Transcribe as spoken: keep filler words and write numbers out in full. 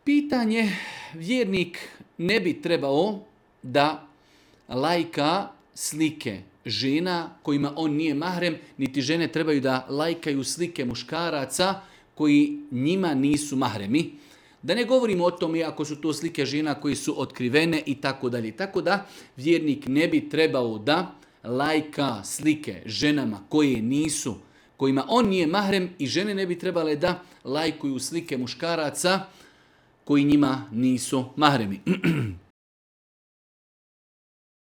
Pitanje, vjernik ne bi trebao da lajka slike žena kojima on nije mahrem, niti žene trebaju da lajkaju slike muškaraca koji njima nisu mahremi. Da ne govorimo o tome ako su to slike žena koji su otkrivene i tako dalje. Tako da vjernik ne bi trebao da lajka slike ženama koje nisu, kojima on nije mahrem, i žene ne bi trebale da lajkuju slike muškaraca koji njima nisu mahremi.